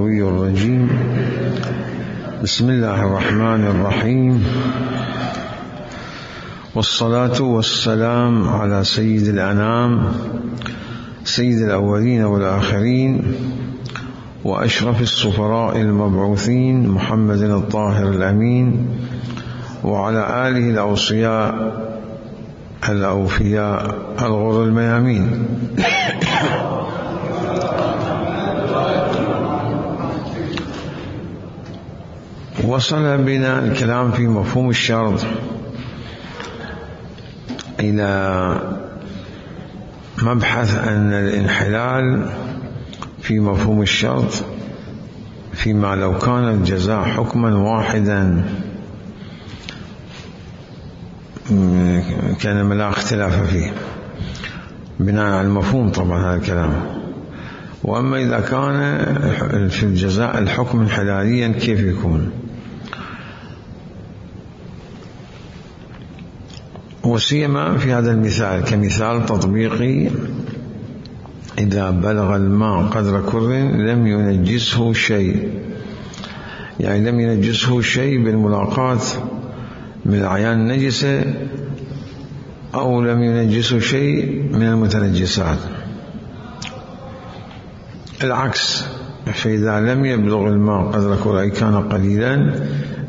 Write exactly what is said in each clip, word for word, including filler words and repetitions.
الغوي الرجيم. بسم الله الرحمن الرحيم، والصلاة والسلام على سيد الأنام، سيد الأولين والآخرين، وأشرف السفراء المبعوثين، محمد الطاهر الأمين، وعلى آله الأوصياء الأوفياء الغر الميامين. وصل بنا الكلام في مفهوم الشرط إلى مبحث أن الانحلال في مفهوم الشرط فيما لو كان الجزاء حكما واحدا كان لا اختلاف فيه بناء على المفهوم طبعا هذا الكلام. وأما إذا كان في الجزاء الحكم انحلاليا كيف يكون؟ وسيما في هذا المثال كمثال تطبيقي، إذا بلغ الماء قدر كر لم ينجسه شيء، يعني لم ينجسه شيء بالملاقاة من الأعيان النجسة، أو لم ينجسه شيء من المتنجسات. العكس، فإذا لم يبلغ الماء قدر كر أي كان قليلا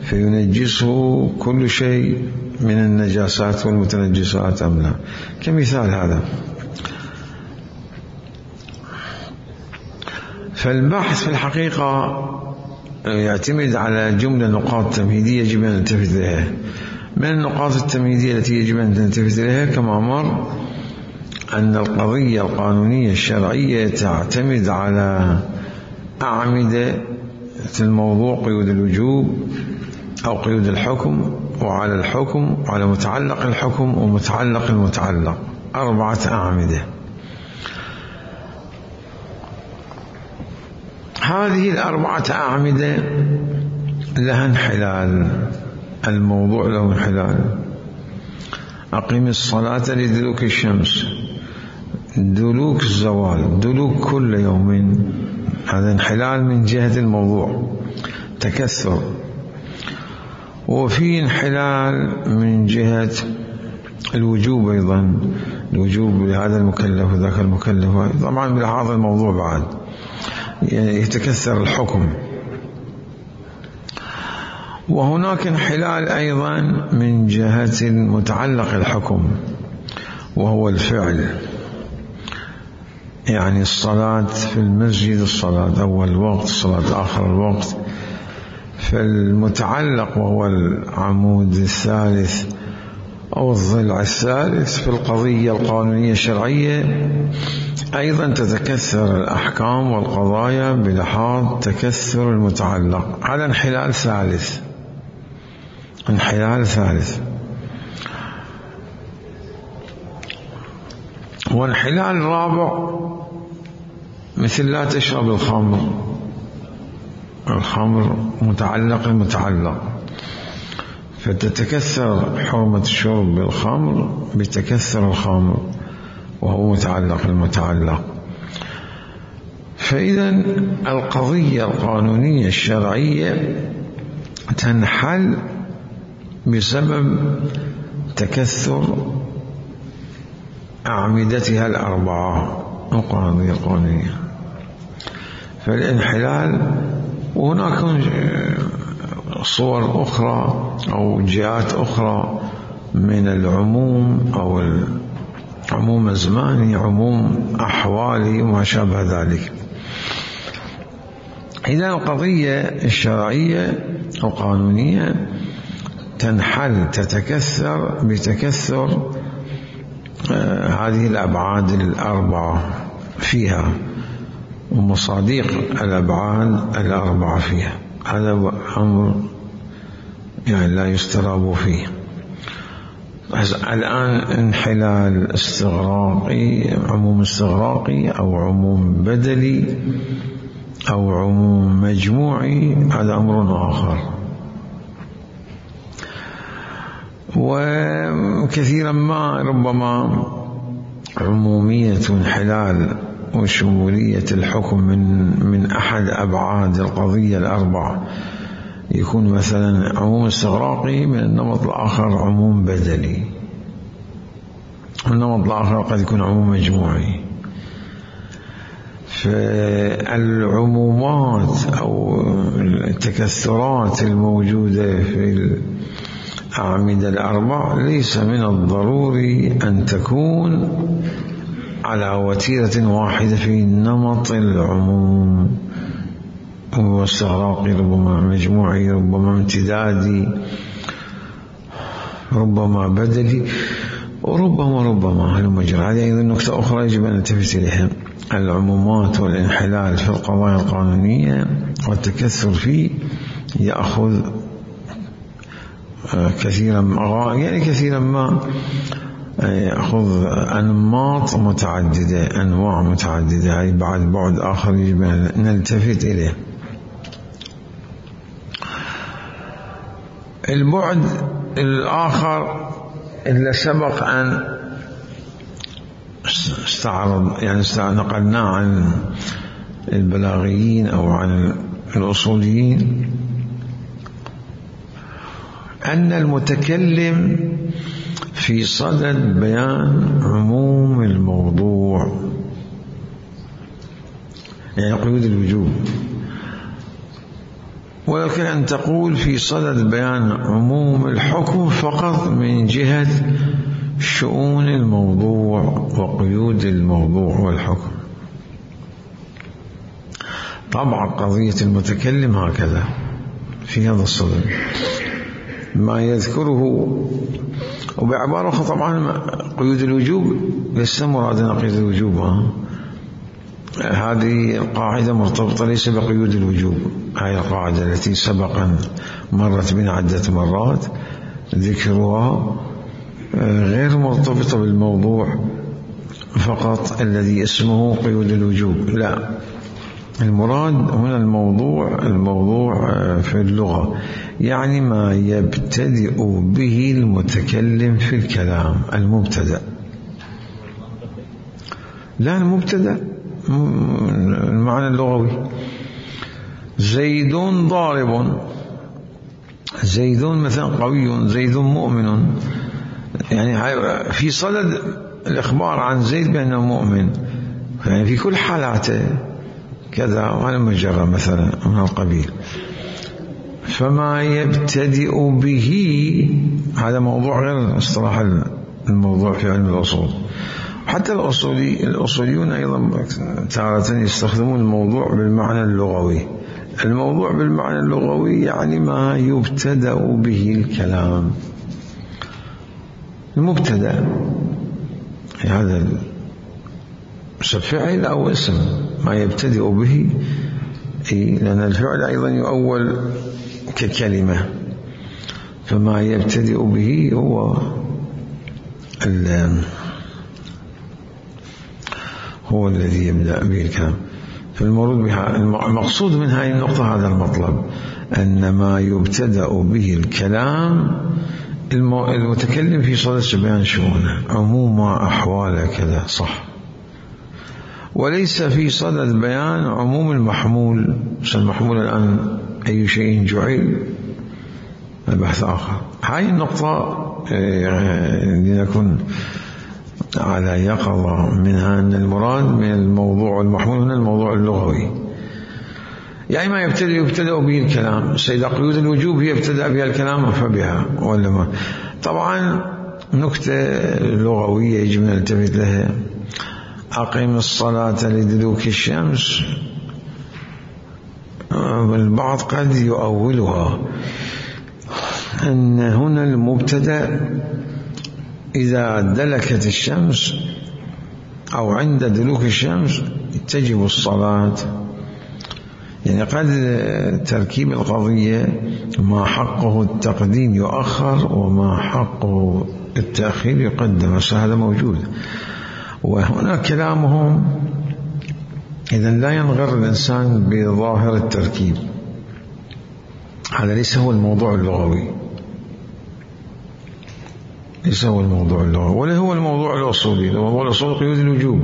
فينجسه كل شيء من النجاسات والمتنجسات أم لا، كمثال هذا. فالبحث في الحقيقة يعتمد على جملة نقاط تمهيدية يجب أن نلتفت إليها. من النقاط التمهيدية التي يجب أن نلتفت إليها كما مر أن القضية القانونية الشرعية تعتمد على أعمدة الموضوع، قيود الوجوب أو قيود الحكم، وعلى الحكم، وعلى متعلق الحكم، ومتعلق المتعلق، أربعة أعمدة. هذه الأربعة أعمدة لها انحلال، الموضوع له انحلال. أقيم الصلاة لدلوك الشمس، دلوك الزوال، دلوك كل يوم، هذا انحلال من جهة الموضوع، تكثر. وفي انحلال من جهة الوجوب أيضا، الوجوب لهذا المكلف وذاك المكلف، طبعا بلحاظ الموضوع بعد يعني يتكثر الحكم. وهناك انحلال أيضا من جهة المتعلق الحكم وهو الفعل، يعني الصلاة في المسجد، الصلاة أول الوقت، الصلاة آخر الوقت. فالمتعلق وهو العمود الثالث أو الضلع الثالث في القضية القانونية الشرعية أيضا تتكثر الأحكام والقضايا بلحاظ تكثر المتعلق. هذا انحلال ثالث، انحلال ثالث. وانحلال رابع مثل لا تشرب الخمر، الخمر متعلق المتعلق، فتتكثر حرمة الشرب بالخمر بتكثر الخمر وهو متعلق المتعلق. فإذا القضية القانونية الشرعية تنحل بسبب تكثر أعمدتها الأربعة القضية القانونية. فالانحلال، وهناك صور أخرى أو جهات أخرى من العموم أو العموم الزماني، عموم أحوالي وما شابه ذلك. إذا القضية الشرعية القانونية تنحل، تتكثر بتكثر آه هذه الأبعاد الأربعة فيها ومصادق الأبعاد الأربعة فيها. هذا أمر يعني لا يستراب فيه. الآن انحلال استغراقي، عموم استغراقي أو عموم بدلي أو عموم مجموعي، هذا أمر آخر. وكثيرا ما ربما عمومية انحلال وشمولية الحكم من من أحد أبعاد القضية الأربع يكون مثلا عموم استغراقي، من النمط الآخر عموم بدلي، النمط الآخر قد يكون عموم مجموعي. فالعمومات أو التكثرات الموجودة في الأعمدة الأربع ليس من الضروري أن تكون على وتيرة واحدة في نمط العموم، واستغراقي ربما مجموعي، ربما امتدادي، ربما بدلي، وربما ربما هالمجرى. هذه أيضا نقطة أخرى يجب أن نلتفت إليها. العمومات والانحلال في القضايا القانونية والتكثر فيه يأخذ كثيرا ما يعني كثيرا ما يأخذ أنماط متعددة، أنواع متعددة، أي بعد بعد آخر يجب أن نلتفت إليه. البعد الآخر اللي سبق أن استعرض يعني نقلناه عن البلاغيين أو عن الأصوليين، أن المتكلم في صدد بيان عموم الموضوع، يعني قيود الوجوب، ولكن أن تقول في صدد بيان عموم الحكم فقط من جهة شؤون الموضوع وقيود الموضوع والحكم. طبعا قضية المتكلم هكذا في هذا الصدد ما يذكره، وبعبارة أخرى طبعا قيود الوجوب ليس مرادنا قيود الوجوب، ها؟ هذه القاعدة مرتبطة ليس بقيود الوجوب، هذه القاعدة التي سبقا مرت بنا عدة مرات ذكرها غير مرتبطة بالموضوع فقط الذي اسمه قيود الوجوب، لا، المراد هنا الموضوع الموضوع في اللغة يعني ما يبتدئ به المتكلم في الكلام، المبتدأ، لا المبتدأ المعنى اللغوي. زيد ضارب، زيد مثلا قوي، زيد مؤمن، يعني في صدد الإخبار عن زيد بأنه مؤمن، يعني في كل حالاته كذا وعلى مجرى مثلا من القبيل. فما يبتدئ به هذا موضوع غير اصطلاح الموضوع في علم الأصول. حتى الأصولي الأصوليون أيضا تارة يستخدمون الموضوع بالمعنى اللغوي. الموضوع بالمعنى اللغوي يعني ما يبتدأ به الكلام، المبتدأ هذا اسم فعل أو اسم ما يبتدئ به، لأن الفعل أيضا يؤول ككلمة، فما يبتدئ به هو هو الذي يبدأ به الكلام. فالمراد بها المقصود من هذه النقطة هذا المطلب، أن ما يبتدأ به الكلام المتكلم في صدد بيان شؤونه، عموم أحواله كذا، صح، وليس في صدد بيان عموم المحمول. المحمول الآن أي شيء جعل بحث آخر. هذه النقطة لنكون على يقظة منها، أن المراد من الموضوع المحمول هنا الموضوع اللغوي، يعني ما يبتدأ يبتدأ به الكلام. سيدة قيود الوجوب هي ابتدأ بها الكلام فبها ولا ما. طبعا نكتة لغوية يجب أن نلتفت لها، أقيم الصلاة لدلوك الشمس، البعض قد يؤولها أن هنا المبتدأ إذا دلكت الشمس أو عند دلوك الشمس تجب الصلاة، يعني قد تركيب القضية ما حقه التقديم يؤخر وما حقه التأخير يقدم، هذا موجود. وهنا كلامهم إذا لا ينغر الإنسان بظاهر التركيب، هذا ليس هو الموضوع اللغوي، ليس هو الموضوع اللغوي ولا هو الموضوع الأصولي. الموضوع الأصولي قيود الوجوب،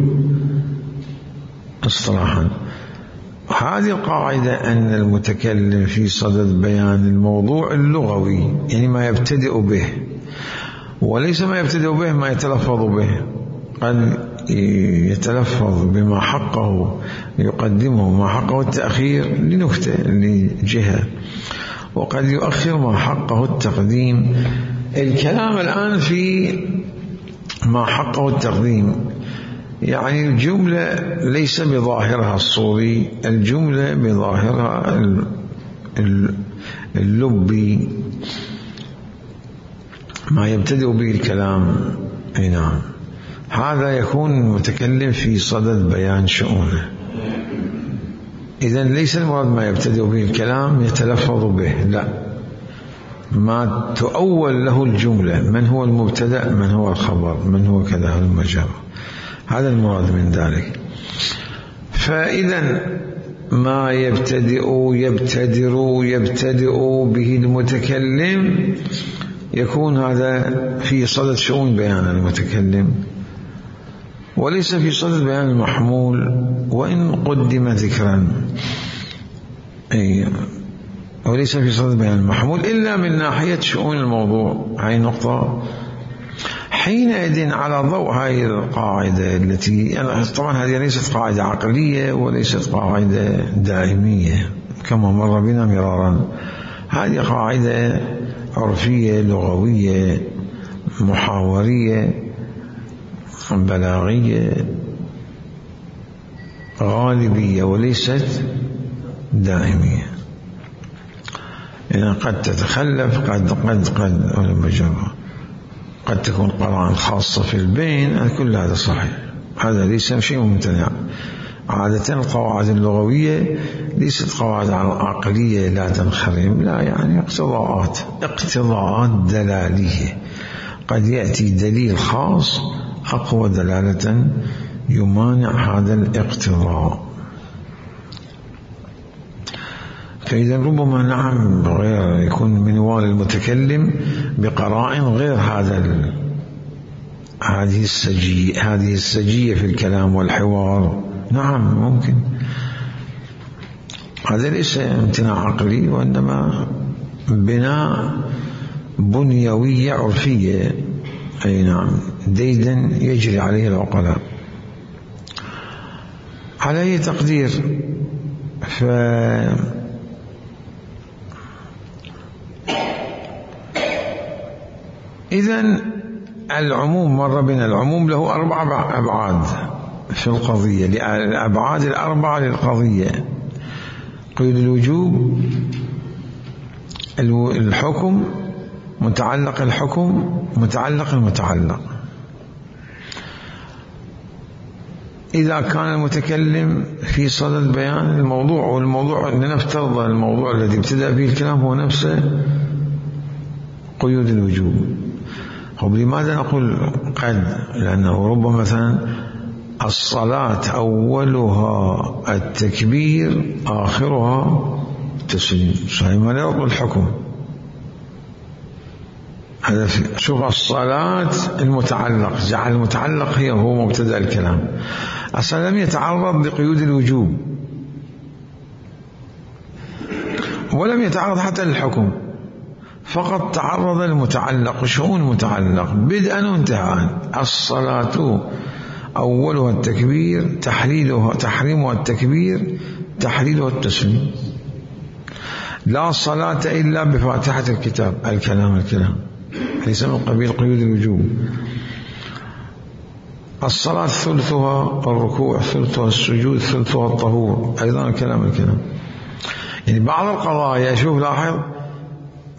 اصطلاحا. هذه القاعدة أن المتكلم في صدد بيان الموضوع اللغوي، يعني ما يبتدئ به، وليس ما يبتدئ به ما يتلفظ به. قد يتلفظ بما حقه يقدمه ما حقه التأخير لنكتة لجهة، وقد يؤخر ما حقه التقديم. الكلام الآن في ما حقه التقديم، يعني الجملة ليس بظاهرها الصوري، الجملة بظاهرها اللبي، ما يبتدئ به الكلام. اي نعم، هذا يكون المتكلم في صدد بيان شؤونه. إذن ليس المراد ما يبتدئ به الكلام يتلفظ به، لا، ما تؤول له الجملة، من هو المبتدأ، من هو الخبر، من هو كذا المجرى، هذا المراد من ذلك. فإذا ما يبتدئ يبتدر يبتدئ به المتكلم يكون هذا في صدد شؤون بيان المتكلم، وليس في صدد بيان المحمول وإن قدم ذكرا. أي وليس في صدد بيان المحمول إلا من ناحية شؤون الموضوع. هاي نقطة. حينئذ على ضوء هذه القاعدة التي يعني طبعا هذه ليست قاعدة عقلية وليست قاعدة دائمية كما مر بنا مرارا، هذه قاعدة عرفية لغوية محاورية بلاغية غالبية وليست دائمية. يعني قد تتخلف، قد قد قد مجرى، قد تكون قرائن خاصة في البين، كل هذا صحيح، هذا ليس شيء ممتنع. عادة القواعد اللغوية ليست قواعد عقلية لا تنخرم، لا، يعني اقتضاءات اقتضاءات دلالية، قد يأتي دليل خاص أقوى دلالة يمانع هذا الاقتضاء. فإذا ربما نعم غير يكون منوال المتكلم بقرائن غير هذا هذه السجية هذه السجية في الكلام والحوار، نعم ممكن. هذا ليس امتناع عقلي وإنما بناء بنيوية عرفية. أي نعم، ديدا يجري عليه العقلاء. على أي تقدير، ف إذن العموم مر بنا، العموم له أربع أبعاد في القضية، الأبعاد الأربعة للقضية: قيود الوجوب، الحكم، متعلق الحكم، متعلق المتعلق. إذا كان المتكلم في صدد بيان الموضوع، والموضوع لنفترض الموضوع الذي ابتدأ به الكلام هو نفسه قيود الوجوب. طب لماذا نقول قد؟ لأنه ربما مثلا الصلاة أولها التكبير آخرها التسليم، صحيح ما نقول الحكم. هذا شوف، الصلاة المتعلق، جعل المتعلق هي هو مبتدأ الكلام، أصلا لم يتعرض لقيود الوجوب ولم يتعرض حتى للحكم، فقط تعرض المتعلق، شؤون المتعلق بدءا وانتهاء. الصلاة أولها التكبير، تحليلها تحريمها التكبير، تحليلها التسليم. لا صلاة إلا بفاتحة الكتاب، الكلام الكلام ليس من قبيل قيود الوجوب. الصلاة ثلثها الركوع، ثلثها السجود، ثلثها الطهور، أيضا الكلام الكلام. يعني بعض القضايا، شوف لاحظ،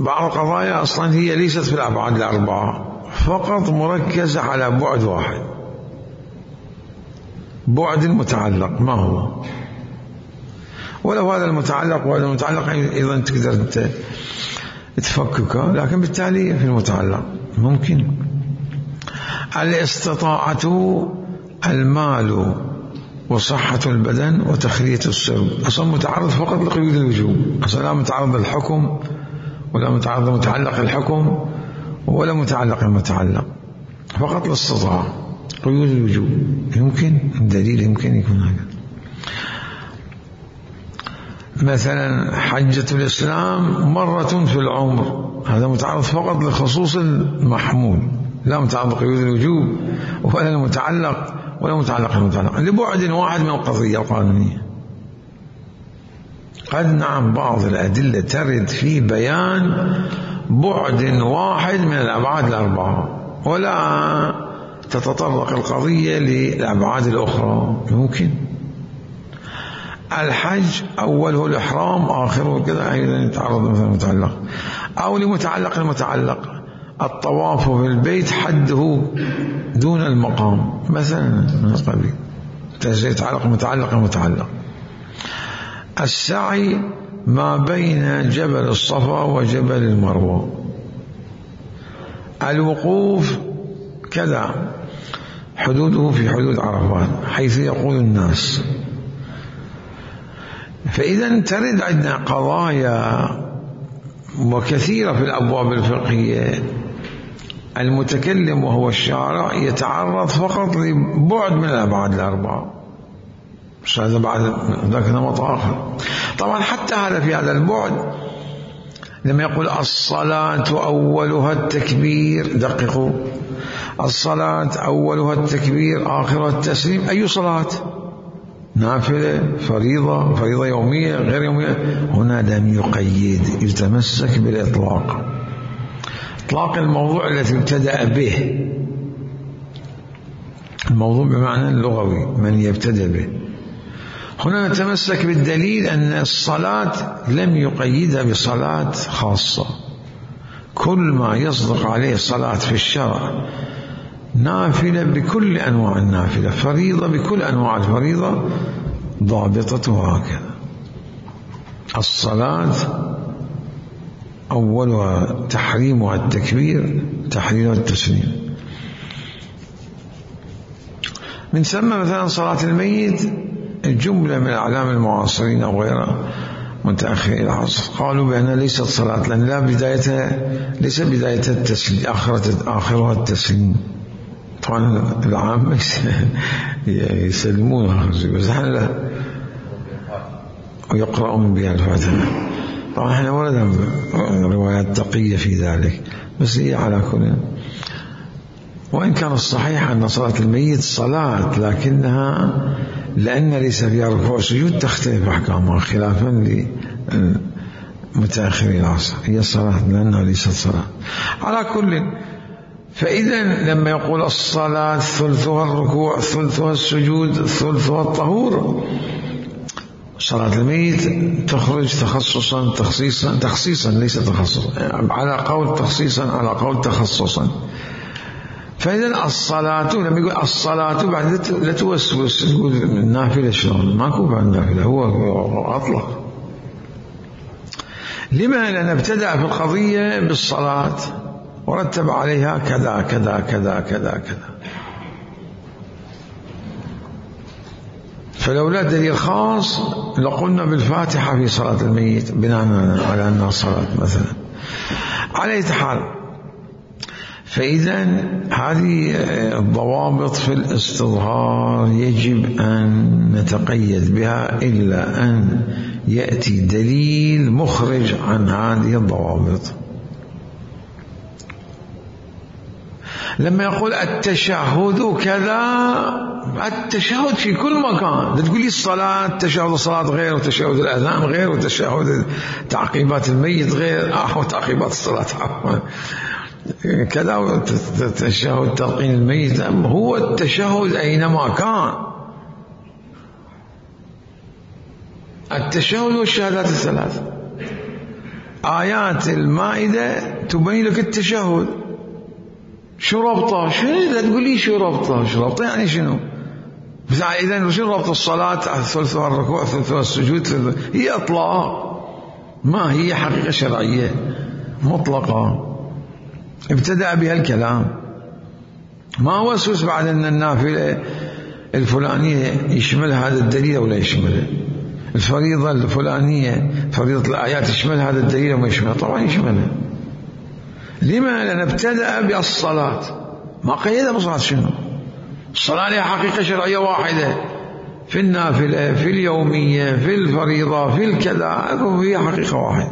بعض القضايا أصلا هي ليست في الأبعاد الأربعة، فقط مركزة على بعد واحد، بعد المتعلق. ما هو؟ ولو هذا المتعلق وهذا المتعلق أيضا تقدر أنت تفككه، لكن بالتالي في المتعلق ممكن. الاستطاعة، المال، وصحة البدن، وتخلية السرب، أصلا متعرض فقط لقيود الوجوب، أصلا لا متعرض للحكم ولا متعرض متعلق الحكم ولا متعلق المتعلق، فقط الاستطاعة. قيود الوجوب يمكن، الدليل يمكن يكون هذا. مثلا حجة الإسلام مرة في العمر، هذا متعرض فقط لخصوص المحمول، لا متعلق بقيود الوجوب ولا المتعلق ولا متعلق المتعلق، لبعد واحد من القضية القانونية. قد نعم بعض الأدلة ترد في بيان بعد واحد من الأبعاد الأربعة ولا تتطرق القضية للأبعاد الأخرى، ممكن. الحج أوله الإحرام آخره كذا أيضا يتعرض مثلا متعلق، أو لمتعلق المتعلق الطواف في البيت حده دون المقام مثلا من القبيل، يتعلق متعلق المتعلق. السعي ما بين جبل الصفا وجبل المروة، الوقوف كذا حدوده في حدود عرفات حيث يقول الناس. فإذا ترد عندنا قضايا وكثيرة في الأبواب الفقهية، المتكلم وهو الشارع يتعرض فقط لبعد من الأبعاد الأربعة، مش هذا بعد ذاك نمط آخر. طبعا حتى هذا في هذا البعد لما يقول الصلاة أولها التكبير، دققوا، الصلاة أولها التكبير آخرها التسليم، أي صلاة؟ نافلة، فريضة، فريضة يومية غير يومية؟ هنا لم يقيد، يتمسك بالإطلاق، إطلاق الموضوع الذي ابتدأ به، الموضوع بمعنى اللغوي من يبتدأ به. هنا نتمسك بالدليل أن الصلاة لم يقيدها بصلاة خاصة، كل ما يصدق عليه صلاة في الشرع، نافلة بكل أنواع النافلة، فريضة بكل أنواع الفريضة، ضابطتها هكذا. الصلاة أولها تحريمها التكبير، تحليلها التسليم. من ثم مثلا صلاة الميت، الجملة من الأعلام المعاصرين أو غيرها متأخر العصر قالوا بأنها ليست صلاة، لأن لا بدايتها، ليس بدايتها التسليم، آخرها التسليم. طبعا العامة يسلمونها بس احنا لا، ويقرؤون بها الفاتحة. طبعا احنا ورد روايات تقية في ذلك، بس هي على كل، وإن كان الصحيح أن صلاة الميت صلاة، لكنها لأن ليس فيها ركوع سجود تختلف أحكامها خلافا لمتأخري العصر، هي صلاة لأنها ليست صلاة على كل. فإذا لما يقول الصلاة ثلثها الركوع، ثلثها السجود، ثلثها الطهور، صلاة الميت تخرج تخصصا تخصيصا تخصيصا ليس تخصصا، على قول تخصيصا على قول تخصصا. فإذا الصلاة لما يقول الصلاة بعد لا توسوس تقول النافلة شلون، ماكو بعد النافلة، هو أطلق. لما؟ لأن ابتدأ في القضية بالصلاة ورتب عليها كذا كذا كذا كذا كذا، فلولا دليل خاص لقلنا بالفاتحة في صلاة الميت بناء على أنها صلاة مثلا. على أي حال، فإذا هذه الضوابط في الاستظهار يجب أن نتقيد بها إلا أن يأتي دليل مخرج عن هذه الضوابط. لما يقول التشهد كذا، التشهد في كل مكان، تقول لي الصلاة تشهد الصلاة غير، وتشهد الأذان غير، وتشهد تعقيبات الميت غير، أو تعقيبات الصلاة كذا، وتشهد تلقين الميت. هو التشهد أينما كان، التشهد والشهادات الثلاث. آيات المائدة تبين لك التشهد، شو ربطه؟ شو لا تقول لي شو ربطه؟ شو ربطه يعني شنو؟ بس إذا شو ربط الصلاة؟ ثلثها الركوع، ثلثها السجود، هي إطلاق، ما هي حقيقة شرعية مطلقة. ابتدأ بها الكلام، ما وسوس بعد أن النافلة الفلانية يشمل هذا الدليل ولا يشمله، الفريضة الفلانية فريضة الآيات يشمل هذا الدليل وما يشمله، طبعا يشمله. لما؟ لأن ابتدأ بالصلاة، ما قيدها بصلاة. شنو الصلاة؟ لها حقيقة شرعية واحدة، في النافلة، في اليومية، في الفريضة، في الكذا، هي حقيقة واحدة.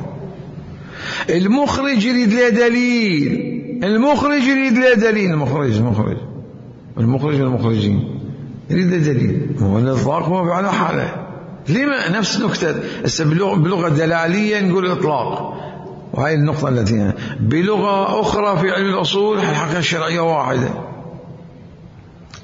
المخرج يريد له دليل، المخرج يريد له دليل، المخرج المخرج المخرج والمخرجين يريد له دليل. هو الإطلاق هو على حاله. لما نفس نكتة بلغة دلالية نقول إطلاق، وهي النقطة التي بلغة أخرى في علم الأصول الحقيقة الشرعية واحدة.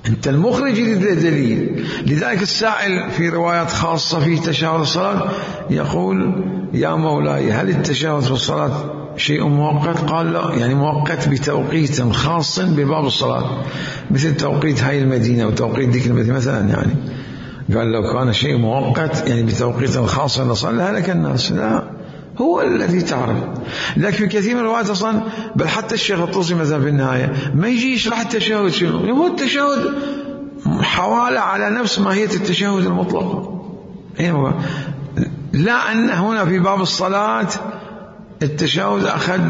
أنت المخرج يريد له دليل. لذلك السائل في روايات خاصة في تشهد الصلاة يقول: يا مولاي هل التشهد في الصلاة شيء مؤقت؟ قال: لا، يعني مؤقت بتوقيت خاص بباب الصلاة، مثل توقيت هاي المدينة وتوقيت ذيك المدينة مثلا. يعني قال لو كان شيء مؤقت يعني بتوقيت خاص لصلى هلك الناس. لا، هو الذي تعرف. لكن في كثير من الروايات اصلا بل حتى الشيخ الطوسي مثلا في النهايه ما يجي يشرح التشهد شنو، هو التشهد حواله على نفس ماهيه التشهد المطلقه. لا ان هنا في باب الصلاه التشهد اخذ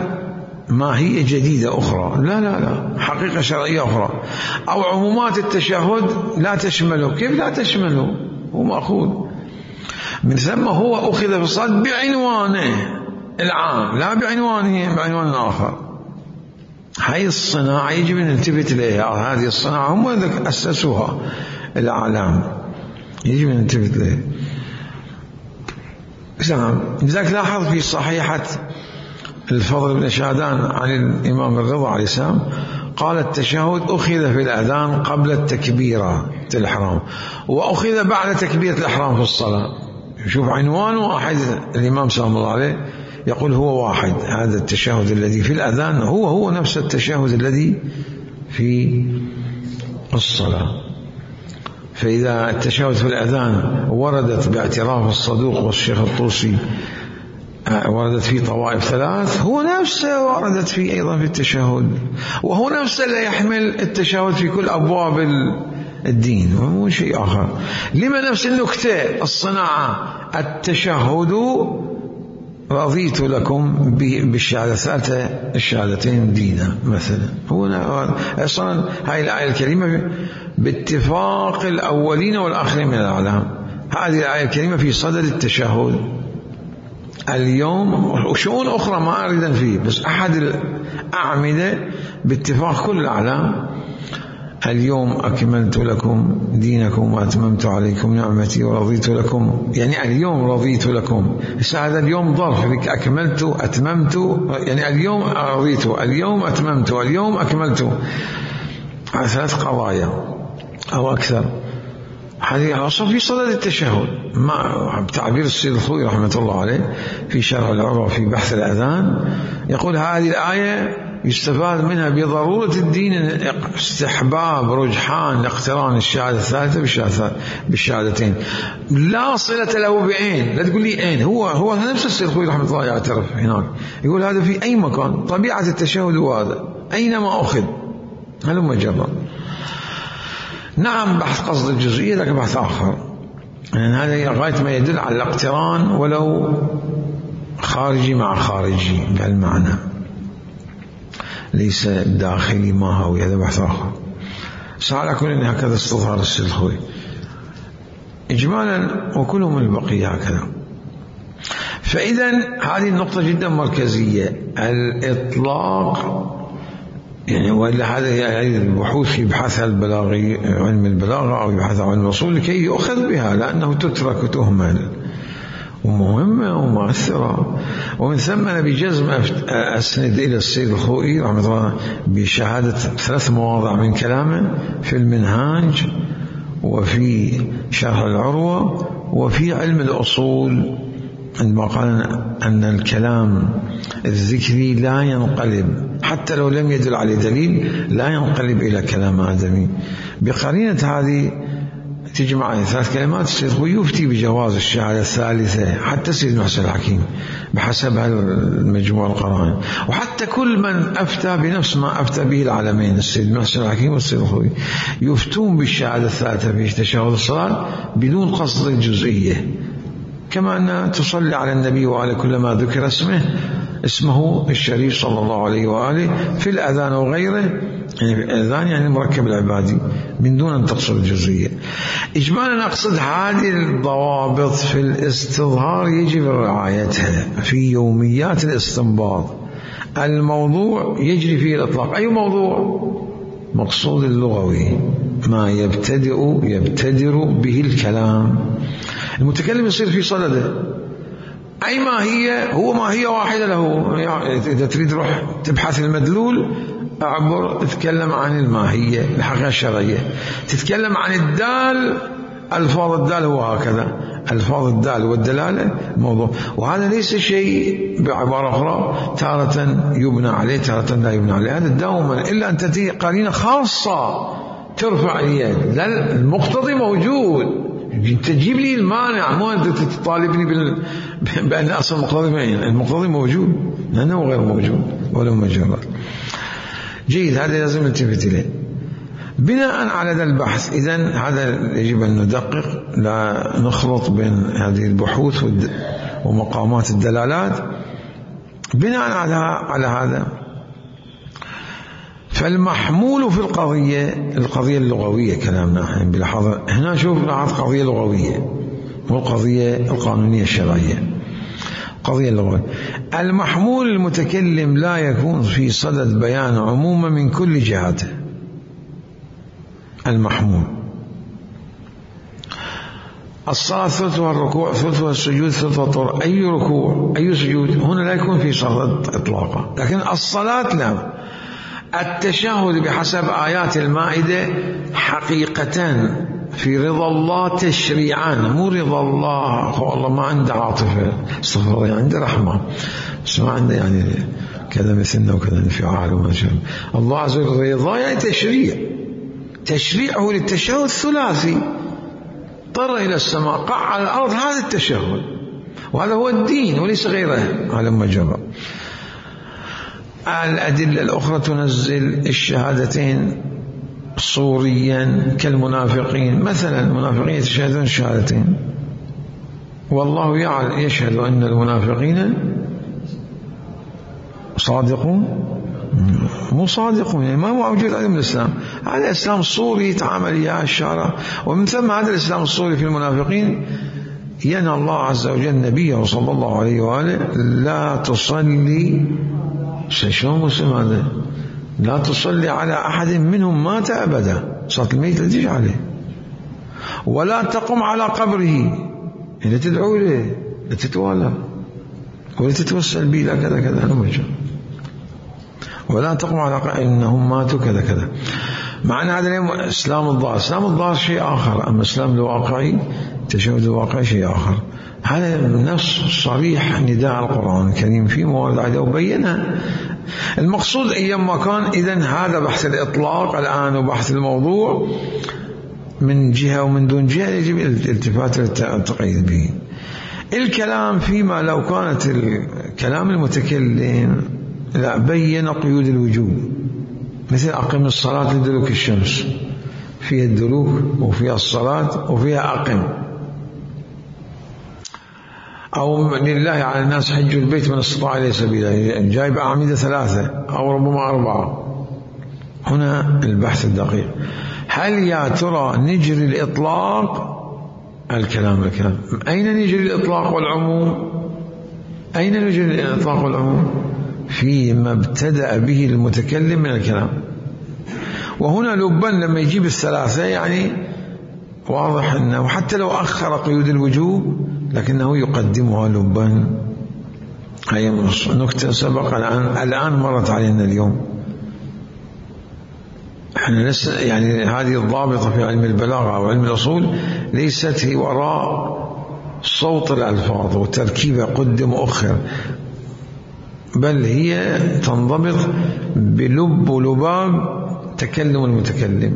ماهيه جديده اخرى، لا لا لا، حقيقه شرعيه اخرى. او عمومات التشهد لا تشمله. كيف لا تشمله؟ هو ماخوذ من ثم، هو أخذ في الصلاة بعنوانه العام لا بعنوانه بعنوان آخر. هاي الصناعة يجب أن نلتفت إليها. هذه الصناعة هم أسسوها الأعلام، يجب أن نلتفت إليها. نعم. لذلك لاحظ في صحيحة الفضل بن شادان عن الإمام الرضا عليه السلام قال: التشهد أخذ في الأذان قبل التكبيرة الإحرام، وأخذ بعد تكبيرة الإحرام في الصلاة. شوف عنوان واحد. الإمام صلى الله عليه يقول هو واحد. هذا التشهد الذي في الأذان هو هو نفس التشهد الذي في الصلاة. فإذا التشهد في الأذان وردت باعتراف الصدوق والشيخ الطوسي وردت فيه طوائف ثلاث، هو نفسه وردت فيه أيضا في التشهد، وهو نفسه لا يحمل التشهد في كل أبواب الدين، مو شيء آخر. لما نفس النكتة الصناعة؟ التشهد رضيت لكم بالشهادة الثالثة الشهادتين دينا مثلا. هو أصلا هاي الآية الكريمة باتفاق الأولين والآخرين من الأعلام. هذه الآية الكريمة في صدد التشهد اليوم، وشؤون أخرى ما أريد فيه، بس أحد الأعمدة باتفاق كل الأعلام: اليوم أكملت لكم دينكم وأتممت عليكم نعمتي ورضيت لكم. يعني اليوم رضيت لكم. هذا اليوم ظرف بك، أكملت أتممت، يعني اليوم رضيت، اليوم أتممت، اليوم أكملت، على ثلاث قضايا أو أكثر. هذه أصلا في صدد التشهد. مع بتعبير السيد الخوئي رحمة الله عليه في شرح العروة في بحث الأذان يقول: هذه الآية يستفاد منها بضرورة الدين استحباب رجحان اقتران الشهادة الثالثة بالشهادتين، لا صلة له بعين. لا تقول لي أين، هو هو نفس السيد الخوئي رحمة الله يعترف هناك، يقول هذا في أي مكان طبيعة التشهد هذا أينما أخذ هلما جرى. نعم بحث قصد الجزئية لكن بحث آخر، يعني هذا غاية ما يدل على الاقتران ولو خارجي مع خارجي بهالمعنى، ليس داخلي ما هو، هذا بحث آخر. سأل كل إن هكذا استظهر السيد الخوئي إجمالا، وكلهم البقية هكذا. فإذا هذه النقطة جدا مركزية، الإطلاق. يعني وإلا هذا هي البحوث في بحثها البلاغي علم البلاغة أو يبحث عن الوصول لكي يؤخذ بها، لأنه تترك وتهمل ومهمة ومؤثرة. ومن ثم أنا بجزم أسند إلى السيد الخوئي رحمه الله بشهادة ثلاث مواضع من كلامه في المنهاج وفي شرح العروة وفي علم الأصول، عندما قال أن الكلام الذكري لا ينقلب حتى لو لم يدل عليه دليل، لا ينقلب إلى كلام آدمي. بقرينة هذه تجمع ثلاث كلمات السيد الخوئي يفتي بجواز الشهادة الثالثة، حتى السيد محسن الحكيم بحسب المجموع القرائن، وحتى كل من أفتى بنفس ما أفتى به العالمين السيد محسن الحكيم والسيد الخوئي يفتون بالشهادة الثالثة في تشهد الصلاة بدون قصد الجزئية، كما أن تصلي على النبي وعلى كل ما ذكر اسمه اسمه الشريف صلى الله عليه وآله في الأذان وغيره الأذان يعني المركب العبادي من دون أن تقصد الجزئية. إجمالا أقصد هذه الضوابط في الاستظهار يجب رعايتها في يوميات الاستنباط. الموضوع يجري فيه الإطلاق. أي موضوع؟ مقصود اللغوي، ما يبتدئ يبتدر به الكلام، المتكلم يصير في صدده. أي ما هي هو ما هي واحدة له. يعني إذا تريد روح تبحث المدلول أعبر تتكلم عن الماهية الحقيقة الشرعية. تتكلم عن الدال، ألفاظ الدال هو هكذا، ألفاظ الدال والدلالة موضوع. وهذا ليس شيء بعبارة أخرى تارة يبنى عليه تارة لا يبنى عليه، هذا دوما إلا أن تأتي قرينة خاصة ترفع اليد. لا، المقتضي موجود، تجيب لي المانع، مو أنت تطالبني بال... بأن أصل المقتضي معين. المقتضي موجود لأنه غير موجود ولا مجرد. جيد، هذا لازم نلتفت إليه. بناء على ذا البحث إذن هذا يجب أن ندقق، لا نخلط بين هذه البحوث ومقامات الدلالات. بناء على على هذا فالمحمول في القضية القضية اللغوية كلامنا بلحظة هنا. شوف لاحظ قضية لغوية والقضية القانونية الشرعية. قضية اللغوية، المحمول المتكلم لا يكون في صدد بيان عموما من كل جهاته. المحمول الصلاة ثلثها الركوع، ثلثها السجود، ثلثها الطهور. أي ركوع أي سجود هنا لا يكون في صدد إطلاقا، لكن الصلاة لا. التشهد بحسب آيات المائدة حقيقة في رضا الله تشريعا، مو رضا الله والله ما عنده عاطفة، استغفر الله، عنده رحمة بس ما عنده يعني كذا مثلنا وكذا انفعال وما شابه. الله عز وجل رضا يعني تشريع، تشريعه للتشهد ثلاثي، طر إلى السماء قع على الأرض، هذا التشهد وهذا هو الدين وليس غيره على مجرد. الأدلة الأخرى تنزل الشهادتين صوريا كالمنافقين مثلا. المنافقين يتشهدون الشهادتين والله يعلم يشهد أن المنافقين صادقون مو صادقون، يعني ما موجود علم الإسلام. هذا إسلام صوري يتعامل إياه الشارع، ومن ثم هذا الإسلام الصوري في المنافقين ينهى الله عز وجل نبيه صلى الله عليه وآله لا تصلي. شلون مسلم هذا؟ لا تصلي على أحد منهم مات أبدا، صلاة الميت لا تجي عليه، ولا تقم على قبره، لا تدعو له، لا تتوالى ولا تتوسل به لا كذا كذا نمجر، ولا تقم على قبره إنهم ماتوا كذا كذا. معنى هذا اليوم إسلام الظاهر. إسلام الظاهر شيء آخر، أما إسلام الواقعي تشهد الواقعي شيء آخر. هذا نص صريح نداء القرآن الكريم في موارد عدة وبينها. المقصود أيام ما كان إذن هذا بحث الإطلاق الآن وبحث الموضوع من جهة ومن دون جهة يجب الالتفات للتقييد به. الكلام فيما لو كانت الكلام المتكلم لا بين قيود الوجوب، مثل أقم الصلاة لدلوك الشمس، فيها الدلوك وفيها الصلاة وفيها أقم. أو لله على الناس حج البيت من استطاع إليه سبيلا، جايب أعمدة ثلاثة أو ربما أربعة. هنا البحث الدقيق، هل يا ترى نجري الإطلاق الكلام الكلام أين نجري الإطلاق والعموم؟ أين نجري الإطلاق والعموم؟ فيما ابتدأ به المتكلم من الكلام. وهنا لبن لما يجيب الثلاثة يعني واضح أنه حتى لو أخر قيود الوجوب لكنه يقدمها لبا. هي نكتة سبق الآن الآن مرت علينا اليوم. احنا لسه يعني هذه الضابطة في علم البلاغة أو علم الأصول ليست هي وراء صوت الألفاظ وتركيبها قدم وأخر، بل هي تنضبط بلب ولباب تكلم المتكلم،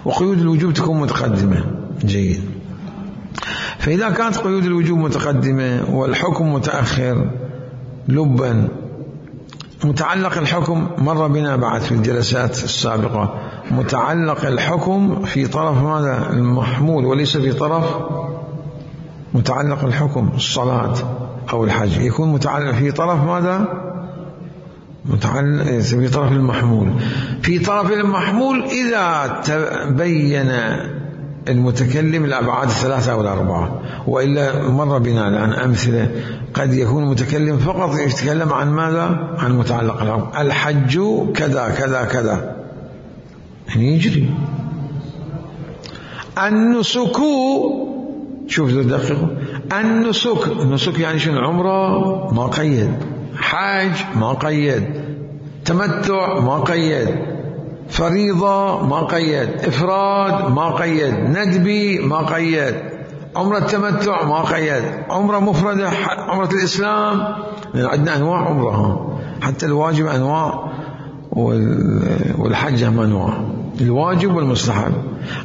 وقيود الوجوب تكون متقدمة. جيد. فإذا كانت قيود الوجوب متقدمة والحكم متأخر لبا، متعلق الحكم مر بنا بعد في الجلسات السابقة، متعلق الحكم في طرف ماذا؟ المحمول، وليس في طرف متعلق الحكم الصلاة أو الحج، يكون متعلق في طرف ماذا؟ متعلق في طرف المحمول. في في طرف المحمول إذا تبين المتكلم الأبعاد الثلاثة أو الأربعة. وإلا مر بنا الآن أمثلة قد يكون المتكلم فقط يتكلم عن ماذا؟ عن متعلق الأمر. الحج كذا كذا كذا يعني يجري. النسك، شوف دقيقة، النسك، النسك يعني شنو؟ عمره ما قيد، حاج ما قيد، تمتع ما قيد، فريضة ما قيد، إفراد ما قيد، ندبي ما قيد، عمرة التمتع ما قيد، عمرة مفردة، عمرة الإسلام، عندنا أنواع عمرها، حتى الواجب أنواع والحج هم أنواع، الواجب والمستحب.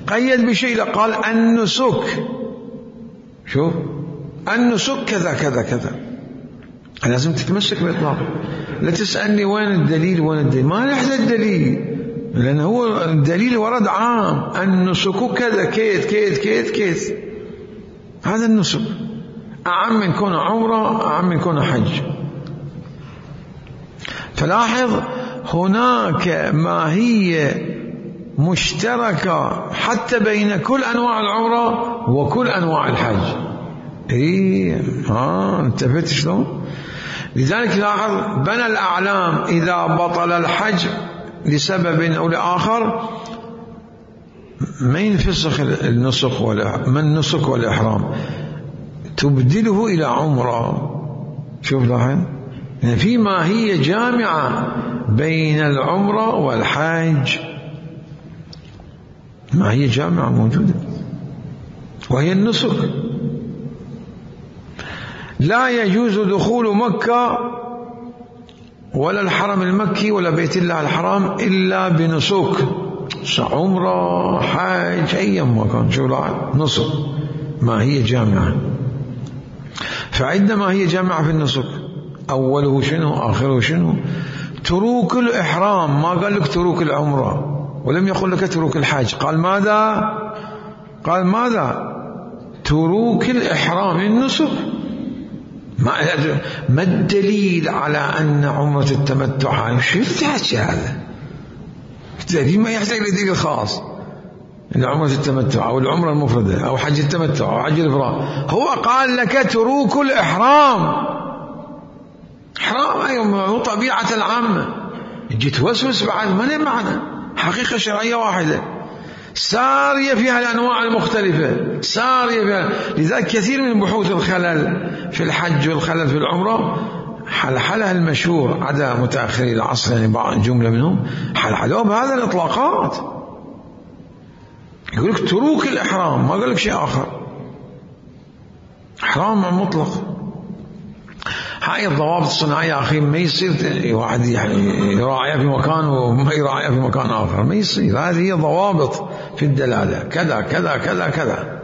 قيد بشيء قال النسك، شوف النسك كذا كذا كذا، لازم تتمسك بالإطلاق. لا تسألني وين الدليل وين الدليل، ما نحتاج الدليل، لأن هو الدليل ورد عام، النسك كذا كيت كيت كيت كيت، هذا النسك أعم من كون عمره، أعم من كون حج. فلاحظ هناك ماهية مشتركة حتى بين كل أنواع العمرة وكل أنواع الحج. إيه ها انتبهت شلون؟ لذلك لاحظ بنى الأعلام إذا بطل الحج لسبب أو لآخر ما ينفسخ النسك ولا من النسك والإحرام، تبدله إلى عمرة. شوف لاحظ يعني في ماهية جامعة بين العمرة والحج، ماهية جامعة موجودة وهي النسك. لا يجوز دخول مكة ولا الحرم المكي ولا بيت الله الحرام إلا بنسك، عمرة حج أيام ما كان. شو نسك ماهية جامعة. فعندما هي جامعة في النسك أوله شنو آخره شنو؟ تروك الإحرام، ما قال لك تروك العمرة، ولم يقل لك تروك الحج، قال ماذا؟ قال ماذا؟ تروك الإحرام النسك. ما الدليل على أن عمرة التمتع شو يحتاج هذا؟ الدليل ما يحتاج لدليل خاص، إن عمرة التمتع أو العمرة المفردة أو حج التمتع أو حج الإفراد، هو قال لك تروك الإحرام. إحرام أيوة هو طبيعة العامة، جيت وسوس بعد ما له معنى، حقيقة شرعية واحدة سارية فيها الأنواع المختلفة، سارية فيها. لذلك كثير من بحوث الخلل في الحج والخلل في العمرة حلحلها المشهور عدا متأخري العصر، يعني بعض جملة منهم حلحلوها بهذا الإطلاقات. يقول لك تروك الإحرام، ما قال لك شيء آخر، إحرام مطلق. هاي الضوابط الصناعية أخي ما يصير واحد يعني يراعيها في مكان وما يراعيها في مكان آخر، ما يصير. هذه هي ضوابط في الدلالة، كذا كذا كذا كذا.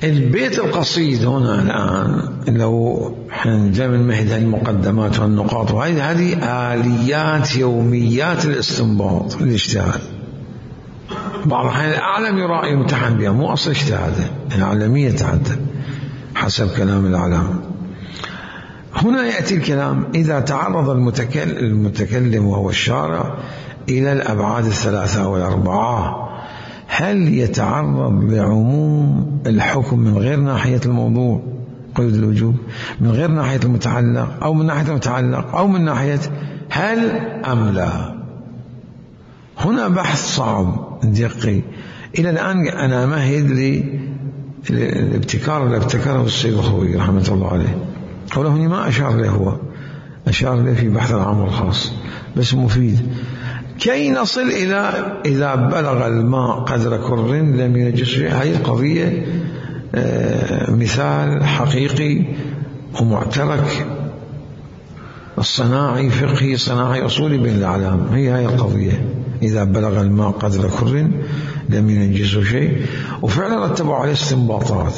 البيت القصيد هنا الآن لو جاء من مهد المقدمات والنقاط، وهذه هذه آليات يوميات الاستنباط الاجتهاد. بعض الأحيان الأعلم يراعي يمتحن بها، مو أصل اجتهاده، العالمية تعدى حسب كلام الأعلام. هنا يأتي الكلام إذا تعرض المتكلم, المتكلم وهو الشارع إلى الأبعاد الثلاثة والأربعة، هل يتعرض لعموم الحكم من غير ناحية الموضوع قيد الوجوب، من غير ناحية المتعلق، أو من ناحية المتعلق، أو من ناحية هل أم لا؟ هنا بحث صعب دقيق. إلى الآن أنا مهد لي الابتكار اللي ابتكره السيد الخوي رحمة الله عليه، قوله هنا ما أشار له، هو أشار له في بحث العام والخاص بس مفيد. كي نصل إلى إذا بلغ الماء قدر كر لم ينجس. هذه القضية مثال حقيقي ومعترك الصناعي فقهي صناعي أصولي بين الأعلام. هي هاي القضية إذا بلغ الماء قدر كر لم ينجسه شيء، وفعلا رتبوا عليه استنباطات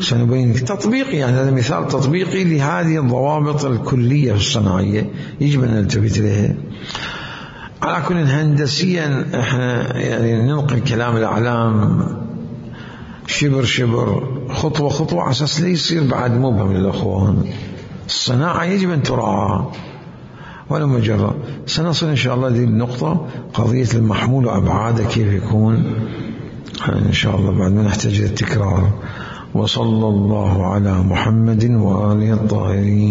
سنبين تطبيقي، يعني هذا مثال تطبيقي لهذه الضوابط الكلية في الصناعية يجب أن نلتفت إليها. على كل هندسيا احنا يعني ننقل كلام الأعلام شبر شبر خطوة خطوة على أساس لا يصير بعد مبهم للأخوان. الصناعة يجب أن تراعى، ولا مجرة. سنصل إن شاء الله هذه النقطة، قضية المحمول وأبعاده كيف يكون إن شاء الله بعد ما نحتاج إلى التكرار. وصلى الله على محمد وآله الطاهرين.